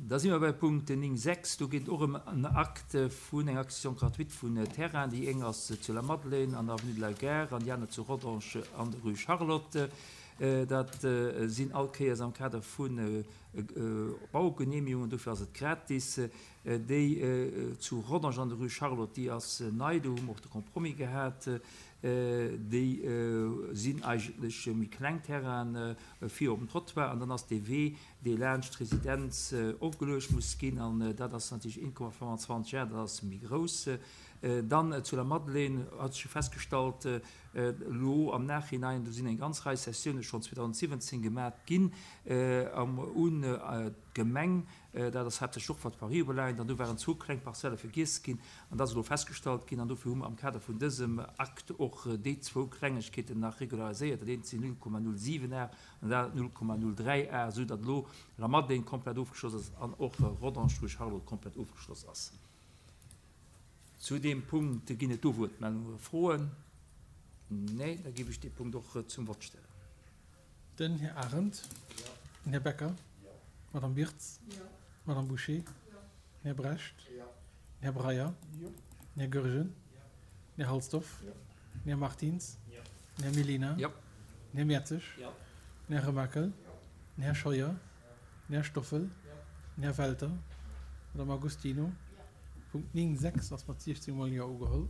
Da si mer bei Punkt 9, 6. Do geet et och ëm en Acte vun enger Acquisition gratuite vun Terrainen. Déi eng ass zu Lamadelaine an der Avenue de la Gare an déi aner zu Rodange an der Rue Charlotte. Dat sinn all Kéiers am Kader vu Baugenehmigungen, dofir ass et gratis. Déi zu Rodange an der Rue Charlotte, déi ass nei, do hu mer och de Compromis gehat. Déi sinn eigentlech méi kleng Terrainen fir op den Trottoir an dann ass dee Wee, dee laanscht d'Residenz ofgeluecht muss ginn, an dat ass natierlech 1,25 Ar, dat ass méi grouss. Dann zu der Madeleine hat sech jo festgestallt, elo am Nachhinein, do sinn eng ganz Rei Cessioune schonn 2017 gemat ginn un d'Gemeng, dat ass haaptsächlech och wat d'Voirie ubelaangt, an do waren zwou kleng Parzelle vergiess ginn, an dat ass elo festgestallt ginn, an dofir hu mer am Kader vun dësem Akt och déi zwou Klengegkeeten nach regulariséiert. Dat eent sinn 0,07 Ar an dat 0,03 Ar, esou datt elo Lamadelaine komplett ofgeschloss ass an och Rodange rue Charlotte komplett ofgeschloss ass. Zu deem Punkt ginn et do Wuertmeldungen oder Froen? Nee, da géif ech dee Punkt och zum Vott stellen. Den Här Arendt. Den Här Becker. D'Madame Birtz. D'Madame Bouché. Den Här Brecht. Den Här Breyer. Den Här Goergen. Den Här Halsdorf. Den Här Martins. Den Här Mellina. Den Här Mertzig. Den Här Remakel. Den Här Scheuer. Den Här Stoffel. Den Här Welter. D'Madame Agostino. Punkt 9, 6 ass mat 16 mol Jo ugeholl.